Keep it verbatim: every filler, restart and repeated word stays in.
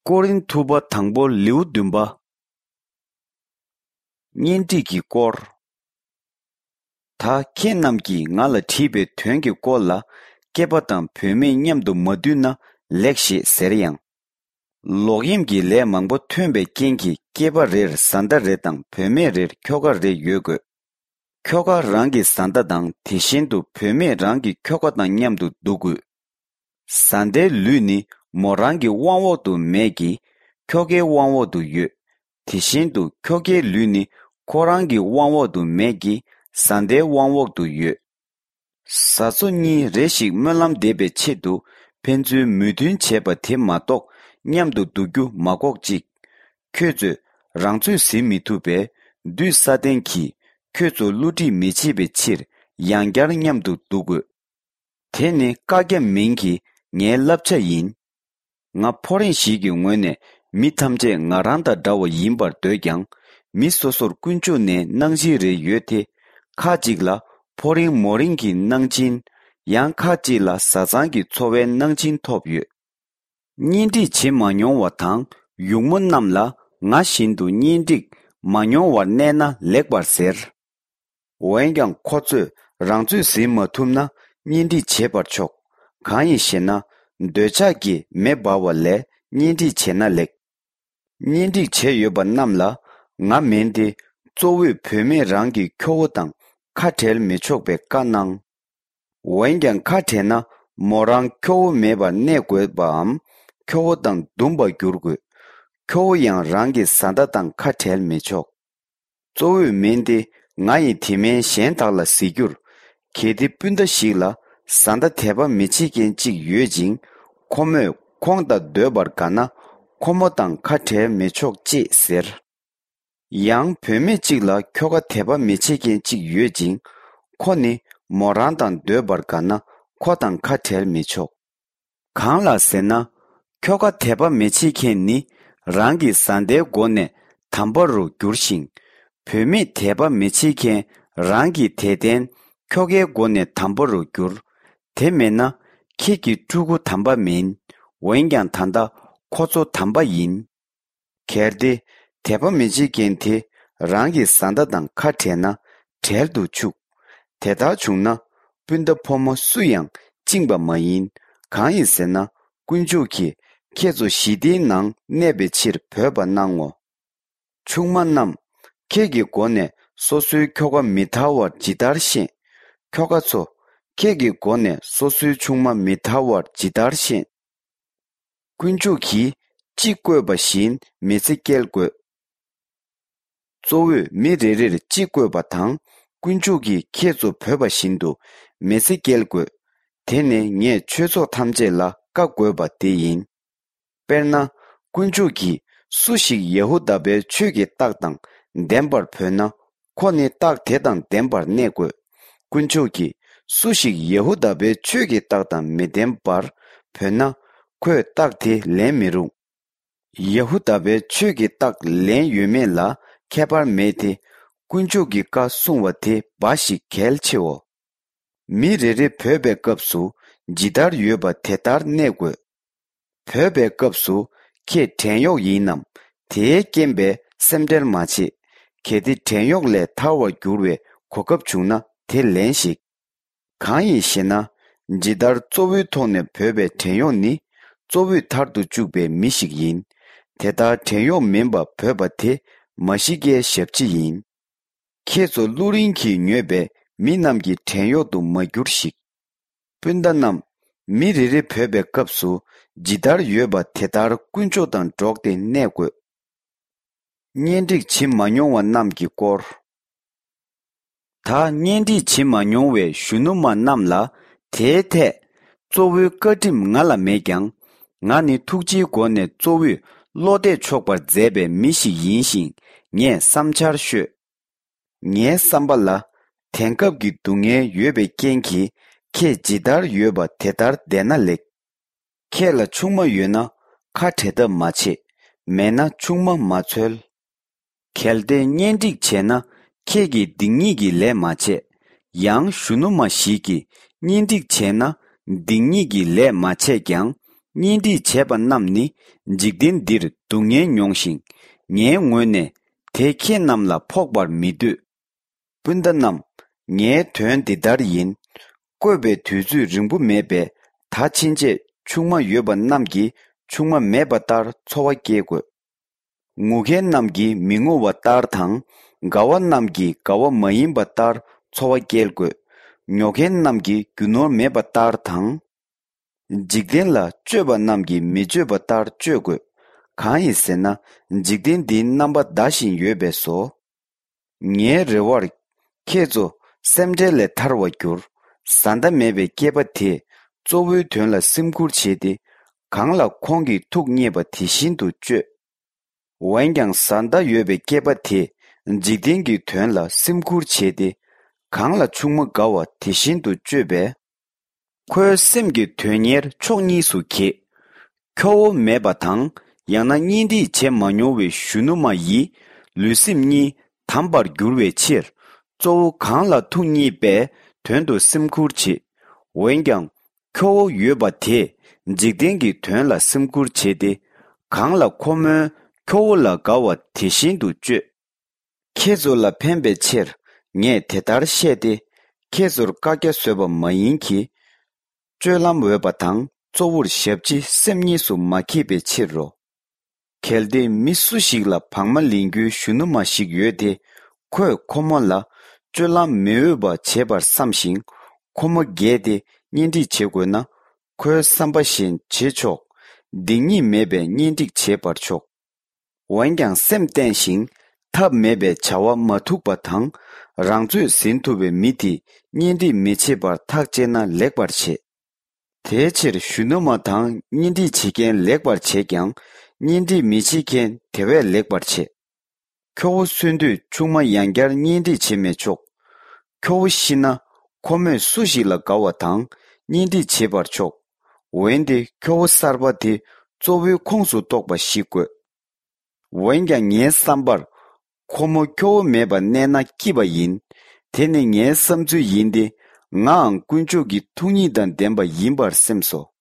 ཀོ་རིན་ཐུ་པ་དང་པོ་ལེའུ་བདུན་པ། གཉེན་སྒྲིག་གི་སྐོར། ད་ཁྱེད་རྣམས་ཀྱིས་ང་ལ་དྲིས་པའི་དོན་གྱི་སྐོར་ལ། སྐྱེས་པ་དང་བུད་མེད་མཉམ་དུ་མ་འདུས་ན་ལེགས་ཞེས་ཟེར་ཡང་། ལོག་གཡེམ་གྱི་ལས་མང་པོ་ཐོན་པའི་རྐྱེན་གྱིས། སྐྱེས་པ་རེར་བཟའ་ཟླ་རེ་དང་བུད་མེད་རེར་ཁྱོ་ག་རེ་ཡོད་དགོས། ཁྱོ་ག་རང་གི་བཟའ་ཟླ་དང་། དེ་བཞིན་དུ་བུད་མེད་རང་གི་ཁྱོ་ག་དང་མཉམ་དུ་འདུག་དགོས། བཟའ་ཟླའི་ལུས་ནི་མོ་རང་གི་དབང་འོག་ཏུ་མེད་ཀྱི། ཁྱོ་གའི་དབང་འོག་ཏུ་ཡོད། དེ་བཞིན་དུ་ཁྱོ་གའི་ལུས་ནི་ཁོ་རང་གི་དབང་འོག་ཏུ་མེད་ཀྱི། བཟའ་ཟླའི་དབང་འོག་ཏུ་ཡོད། བཟའ་ཚོ་གཉིས་རེ་ཞིག་སྨོན་ལམ་འདེབས་པའི་ཆེད་དུ། ཕན་ཚུན་མོས་མཐུན་བྱས་པ་དེ་མ་གཏོགས། མཉམ་དུ་འདུག་རྒྱུ་མ་འགོག་ཅིག། ཁྱོད་ཚོས་རང་ཚོད་ཟིན་མི་ཐུབ་པས། བདུད་ས་ཏན་གྱིས་ཁྱོད་ཚོ་བསླུ་བྲིད་མི་བྱེད་པའི་ཕྱིར། ཡང་བསྐྱར་མཉམ་དུ་འདུག་དགོས། དེ་ནི་བཀག་རྒྱ་མིན་གྱི་ངའི་བསླབ་བྱ་ཡིན། ང་ཕོ་རེངས་ཤིག་གི་ངོས་ནས། མི་ཐམས་ཅད་ང་རང་དང་འདྲ་བ་ཡིན་པར་འདོད་ཀྱང་། མི་སོ་སོར་ཀུན་སྤྱོད་ནས་གནང་སྦྱིན་རེ་ཡོད་དེ། ཁ་ཅིག་ལ་ཕོ་རེངས་མོ་རེངས་ཀྱི་གནང་སྦྱིན། ཡང་ཁ་ཅིག་ལ་བཟའ་ཚང་གི་འཚོ་བའི་གནང་སྦྱིན་ཐོབ་ཡོད། གཉེན་སྒྲིག་བྱེད་མ་མྱོང་བ་དང་ཡུགས་མོ་རྣམས་ལ། ང་བཞིན་དུ་གཉེན་སྒྲིག་མ་མྱོང་བར་གནས་ན་ལེགས་པར་ཟེར། འོན་ཀྱང་ཁོ་ཚོས་རང་ཚོད་ཟིན་མ་ཐུབ་ན། གཉེན་སྒྲིག་བྱེད་པར་ཆོག། གང་ཡིན་ཞེ་ན། འདོད་ཆགས་ཀྱི་མེ་འབར་བ་ལས། གཉེན་སྒྲིག་བྱས་ན་ལེགས། གཉེན་སྒྲིག་བྱས་ཡོད་པ་རྣམས་ལ། ང་མིན་ཏེ། གཙོ་བོས་བུད་མེད་རང་གི་ཁྱོ་བོ་དང་ཁ་བྲལ་མི་ཆོག་པའི་བཀའ་གནང་། འོན་ཀྱང་ཁ་བྲལ་ན། མོ་རང་ཁྱོ་བོ་མེད་པར་གནས་དགོས་པའམ། ཁྱོ་བོ་དང་འདུམ་པར་འགྱུར་དགོས། ཁྱོ་བོ་ཡང་རང་གི་བཟའ་ཟླ་དང་ཁ་བྲལ་མི་ཆོག། གཙོ་བོས་མིན་ཏེ། ང་ཡིས་དེ་མིན་གཞན་དག་ལ་ཟེར་རྒྱུར། གལ་ཏེ་སྤུན་ཟླ་ཞིག་ལ་བཟའ་ཟླ་དད་པ་མི་བྱེད་མཁན་གཅིག་ཡོད་ཅིང་། ཁོ་མོས་ཁོང་དང་སྡོད་པར་དགའ་ན། ཁོ་མོ་དང་ཁ་བྲལ་མི་ཆོག་ཅེས་ཟེར། ཡང་བུད་མེད་ཅིག་ལ་ཁྱོ་ག་དད་པ་མི་བྱེད་མཁན་གཅིག་ཡོད་ཅིང་། ཁོ་ནི་མོ་རང་དང་སྡོད་པར་དགའ་ན། ཁོ་དང་ཁ་བྲལ་མི་ཆོག། གང་ལགས་ཟེར་ན། ཁྱོ་ག་དད་པ་མི་བྱེད་མཁན་ནི། རང་གི་བཟའ་ཟླའི་སྒོ་ནས་དམ་པ་རུ་འགྱུར་ཞིང་། བུད་མེད་དད་པ་མི་བྱེད་མཁན་རང་གི་དད་ལྡན་ཁྱོ་གའི་སྒོ་ནས་དམ་པ་རུ་འགྱུར། དེ་མེད་ན། ཁྱེད་ཀྱི་ཕྲུ་གུ་དམ་པ་མིན། འོན་ཀྱང་ད་ལྟ་ཁོ་ཚོ་དམ་པ་ཡིན། གལ་ཏེ། དད་པ་མི་བྱེད་མཁན་དེ་རང་གི་བཟའ་ཟླ་དང་ཁ་བྲལ་ན་བྲལ་དུ་ཆུག། དེ་ལྟར་བྱུང་ན། སྤུན་ཟླ་ཕོ་མོ་སུ་ཡང་བཅིངས་པ་མ་ཡིན། གང་ཡིན་ཟེར་ན། དཀོན་མཆོག་གིས་ཁྱེད་ཚོ་ཞི་བདེའི་ནང་གནས་པའི་ཕྱིར་བོས་པ་གནང་ངོ་། ཆུང་མ་རྣམས། ཁྱེད་ཀྱི་སྒོ་ནས་སོ་སོའི་ཁྱོ་ག་མི་ཐར་བར་ཇི་ལྟར་ཤེས། ཁྱོ་ག་ཚོ། ཁྱེད་ཀྱི་སྒོ་ནས་སོ་སོའི་ཆུང་མ་མི་ཐར་བར་ཇི་ལྟར་ཤེས། དཀོན་མཆོག་གིས་ཅི་བསྐོས་པ་བཞིན་མི་ཚེ་སྐྱེལ་དགོས། གཙོ་བོས་མི་རེ་རེར་ཅི་བསྐོས་པ་དང་། དཀོན་མཆོག་གིས་ཁྱེད་ཚོ་བོས་པ་བཞིན་དུ་མི་ཚེ་སྐྱེལ་དགོས། དེ་ནི་ངས་ཆོས་ཚོགས་ཐམས་ཅད་ལ་བཀའ་བསྒོས་པ་དེ་ཡིན། དཔེར་ན། དཀོན་མཆོག་གིས་སུ་ཞིག་ཡ་ཧུ་དཱ་པའི་ཆོས་ཀྱི་རྟགས་དང་ལྡན་པར་བོས་ན། ཁོ་ནི་རྟགས་དེ་དང་ལྡན་པར་གནས་དགོས། དཀོན་མཆོག་གིས་སུ་ཞིག་ཡ་ཧུ་དཱ་པའི་ཆོས་ཀྱི་རྟགས་དང་མི་ལྡན་པར་བོས་ན། ཁོས་རྟགས་དེ་ལེན་མི་རུང་། ཡ་ཧུ་དཱ་པའི་ཆོས་ཀྱི་རྟགས་ལེན་ཡོད་མེད་ལ་ཁྱད་པར་མེད་དེ། དཀོན་མཆོག་གི་བཀའ་སྲུང་བ་དེ་འབའ་ཞིག་གལ་ཆེའོ། མི་རེ་རེ་བོས་པའི་སྐབས་སུ་ཇི་ལྟར་ཡོད་པ་དེ་ལྟར་གནས་དགོས། བོས་པའི་སྐབས་སུ་ཁྱེད་བྲན་གཡོག་ཡིན་ནམ། དེའི་རྐྱེན་པས་སེམས་ཁྲལ་མ་བྱེད། གལ་ཏེ་བྲན་གཡོག་ལས་ཐར་བར་འགྱུར་བའི་གོ་སྐབས་བྱུང་ན་དེ་ལེན་ཞིག། གང་ཡིན་ཞེ་ན། ཇི་ལྟར་གཙོ་བོའི་ཐོག་ནས་བོས་པའི་བྲན་གཡོག་ནི། གཙོ་བོས་མཐར་དུ་བཅུག་པའི་མི་ཞིག་ཡིན། དེ་ལྟར་བྲན་གཡོག་མིན་པ་བོས་པ་དེ་མཱ་ཤི་ཀའི་ཞབས་ཕྱི་ཡིན། ཁྱེད་ཚོ་བླུ་རིན་གྱིས་ཉོས་པའི་མི་རྣམས་ཀྱི་བྲན་གཡོག་ཏུ་མ་འགྱུར་ཞིག། སྤུན་ཟླ་རྣམས། མི་རེ་རེ་བོས་པའི་སྐབས་སུ་ཇི་ལྟར་ཡོད་པ་དེ་ལྟར་དཀོན་མཆོག་དང་འགྲོགས་ཏེ་གནས་དགོས། གཉེན་སྒྲིག་བྱེད་མ་མྱོང་བ་རྣམས་ཀྱི་སྐོར། ད་གཉེན་སྒྲིག་བྱེད་མ་མྱོང་བའི་གཞོན་ནུ་མ་རྣམས་ལ་དེའི་ཐད་གཙོ་བོའི་བཀའ་ཁྲིམས་ང་ལ་མེད་ཀྱང་། ང་ནི་ཐུགས་རྗེའི་སྒོ་ནས་གཙོ་བོས་བློ་གཏད་ཆོག་པར་མཛད་པའི་མི་ཞིག་ཡིན་ཞིང་། ངས་བསམ་འཆར་ཤོད། ངའི་བསམ་པ་ལ། དེང་སྐབས་ཀྱི་སྡུག་བསྔལ་ཡོད་པའི་རྐྱེན་གྱིས། ཁྱེད་ཇི་ལྟར་ཡོད་པ་དེ་ལྟར་བསྡད་ན་ལེགས། ཁྱེད་ལ་ཆུང་མ་ཡོད་ན་ཁ་བྲལ་ཐབས་མ་བྱེད། མེད་ན་ཆུང་མ་མ་འཚོལ། གལ་ཏེ་གཉེན་སྒྲིག་བྱས་ན་ཁྱེད་ཀྱིས་སྡིག་ཉེས་ཀྱི་ལས་མ་བྱས། ཡང་གཞོན་ནུ་མ་ཞིག་གིས་གཉེན་སྒྲིག་བྱས་ན་སྡིག་ཉེས་ཀྱི་ལས་མ་བྱས་ཀྱང་ གཉེན་སྒྲིག་བྱས་པ་རྣམས་ནི་འཇིག་རྟེན་འདིར་སྡུག་བསྔལ་མྱོང་ཞིང་། ངའི་ངོས་ནས་དེ་ཁྱེད་རྣམས་ལ་ཕོག་པར་མི་འདོད། སྤུན་ཟླ་རྣམས། ངའི་དོན་འདི་ལྟར་ཡིན། བསྐོས་པའི་དུས་ཚོད་རིང་པོ་མེད་པས། ད་ཕྱིན་ཆད་ཆུང་མ་ཡོད་པ་རྣམས་ཀྱིས་ཆུང་མ་མེད་པ་ལྟར་འཚོ་བ་སྐྱེལ་དགོས། ངུ་མཁན་རྣམས་ཀྱིས་མི་ངུ་བ་ལྟར་དང་། དགའ་བ་རྣམས་ཀྱིས་དགའ་བ་མ་ཡིན་པ་ལྟར་འཚོ་བ་སྐྱེལ་དགོས། ཉོ་མཁན་རྣམས་ཀྱིས་རྒྱུ་ནོར་མེད་པ་ལྟར་དང་། འཇིག་རྟེན་ལ་སྤྱོད་པ་རྣམས་ཀྱིས་མི་སྤྱོད་པ་ལྟར་སྤྱོད་དགོས། གང་ཡིན་ཟེར་ན། འཇིག་རྟེན་འདིའི་རྣམ་པ་འདའ་བཞིན་ཡོད་པས་སོ། ངའི་རེ་བར། ཁྱེད་ཚོ་སེམས་ཁྲལ་ལས་ཐར་བར་གྱུར། བཟའ་ཟླ་མེད་པའི་སྐྱེས་པ་དེས་གཙོ་བོའི་དོན་ལ་སེམས་ཁུར་བྱས་ཏེ། གང་ལ་ཁོང་གི་ཐུགས་མཉེས་པ་དེ་བཞིན་དུ་སྤྱོད། འོན་ཀྱང་བཟའ་ཟླ་ཡོད་པའི་སྐྱེས་པ་དེས་འཇིག་རྟེན་གྱི་དོན་ལ་སེམས་ཁུར་བྱས་ཏེ། གང་ལ་ཆུང་མ་དགའ་བ་དེ་བཞིན་དུ་སྤྱོད་པས། ཁོའི་སེམས་ཀྱི་དོན་གཉེར་ཕྱོགས་གཉིས་སུ་གྱེས། ཁྱོ་བོ་མེད་པ་དང་། ཡང་ན་གཉེན་སྒྲིག་བྱས་མ་མྱོང་བའི་གཞོན་ནུ་མ་ཡི་ལུས་སེམས་གཉིས་དམ་པར་འགྱུར་བའི་ཕྱིར། གཙོ་བོ་གང་ལ་ཐུགས་མཉེས་པའི་དོན་དུ་སེམས་ཁུར་བྱེད། འོན་ཀྱང་། ཁྱོ་བོ་ཡོད་པ་དེས་འཇིག་རྟེན་གྱི་དོན་ལ་སེམས་ཁུར་བྱེད་དེ། གང་ལ་ཁོ་མོའི་ཁྱོ་བོ་ལ་དགའ་བ་དེ་བཞིན་དུ་སྤྱོད། ཁྱེད་ཚོ་ལ་ཕན་པའི་ཕྱིར་ངས་དེ་ལྟར་བཤད་དེ། ཁྱེད་ཚོར་བཀའ་རྒྱ་བཟོས་པ་མ་ཡིན་གྱི། སྤྱོད་ལམ་འོས་པ་དང་གཙོ་བོར་ཞབས་ཕྱི་སེམས་གཉིས་སུ་མ་གྱེས་པའི་ཕྱིར་རོ། གལ་ཏེ་མི་སུ་ཞིག་ལ་བག་མ་ལེན་རྒྱུའི་གཞོན་ནུ་མ་ཞིག་ཡོད་དེ། ཁོས་ཁོ་མོ་ལ་སྤྱོད་ལམ་མི་འོས་པ་བྱས་པར་བསམ་ཞིང་། ཁོ་མོ་རྒས་ཏེ་གཉེན་སྒྲིག་བྱེད་དགོས་ན། ཁོའི་བསམ་པ་བཞིན་བྱེད་ཆོག། སྡིག་ཉེས་མེད་པའི་གཉེན་སྒྲིག་བྱེད་པར་ཆོག། འོན་ཀྱང་སེམས་བརྟན་ཞིང་ཐབས་མེད་པའི་བྱ་བ་མ་ཐུག་པ་དང་། རང་ཚོད་ཟིན་ཐུབ་པའི་མི་དེས་གཉེན་སྒྲིག་མི་བྱེད་པར་ཐག་བཅད་ན་ལེགས་པར་བྱེད། དེའི་ཕྱིར་གཞོན་ནུ་མ་དང་གཉེན་སྒྲིག་བྱེད་མཁན་ལེགས་པར་བྱེད་ཀྱང་། གཉེན་སྒྲིག་མི་བྱེད་མཁན་དེ་བས་ལེགས་པར་བྱེད། ཁྱོ་བོ་གསོན་དུས་ཆུང་མ་ཡང་བསྐྱར་གཉེན་སྒྲིག་བྱེད་མི་ཆོག། ཁྱོ་བོ་ཤི་ན་ཁོ་མོས་སུ་ཞིག་ལ་དགའ་བ་དང་གཉེན་སྒྲིག་བྱེད་པར་ཆོག། འོན་ཏེ་ཁྱོ་བོ་གསར་པ་དེ་གཙོ་བོའི་ཁོངས་སུ་གཏོགས་པ་ཞིག་དགོས། འོན་ཀྱང་ངའི་བསམ་པར། ཁོ་མོ་ཁྱོ་བོ་མེད་པར་གནས་ན་སྐྱིད་པ་ཡིན། དེ་ནི་ངའི་བསམ་ཚུལ་ཡིན་ཏེ། ངའང་དཀོན་མཆོག་གི་ཐུགས་ཉིད་དང་ལྡན་པ་ཡིན་པར་སེམས་སོ།